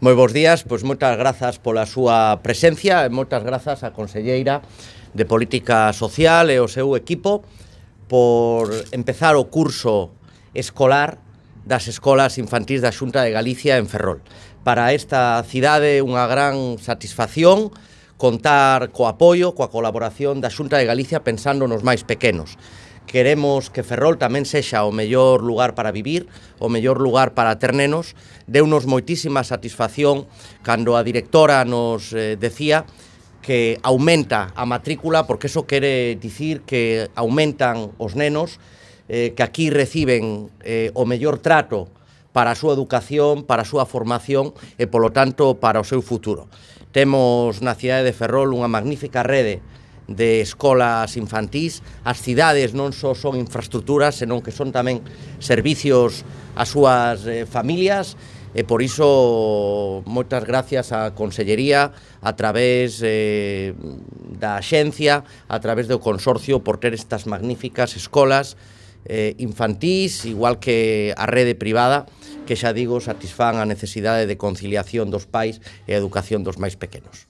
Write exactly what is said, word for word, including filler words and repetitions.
Moi bons días, pois moitas grazas pola súa presencia e moitas grazas á conselleira de Política Social e o seu equipo por empezar o curso escolar das escolas infantís da Xunta de Galicia en Ferrol. Para esta cidade unha gran satisfacción contar co apoio, coa colaboración da Xunta de Galicia pensando nos máis pequenos. Queremos que Ferrol tamén sexa o mellor lugar para vivir, o mellor lugar para ter nenos. Deunos moitísima satisfacción cando a directora nos eh, decía que aumenta a matrícula, porque eso quere dicir que aumentan os nenos, eh, que aquí reciben eh, o mellor trato para a súa educación, para a súa formación e, polo tanto, para o seu futuro. Temos na cidade de Ferrol unha magnífica rede de escolas infantís. As cidades non só son infraestructuras, senón que son tamén servicios ás súas eh, familias, e por iso moitas gracias á Consellería a través eh, da Axencia, a través do Consorcio por ter estas magníficas escolas eh, infantís, igual que a rede privada, que xa digo, satisfán a necesidade de conciliación dos pais e a educación dos máis pequenos.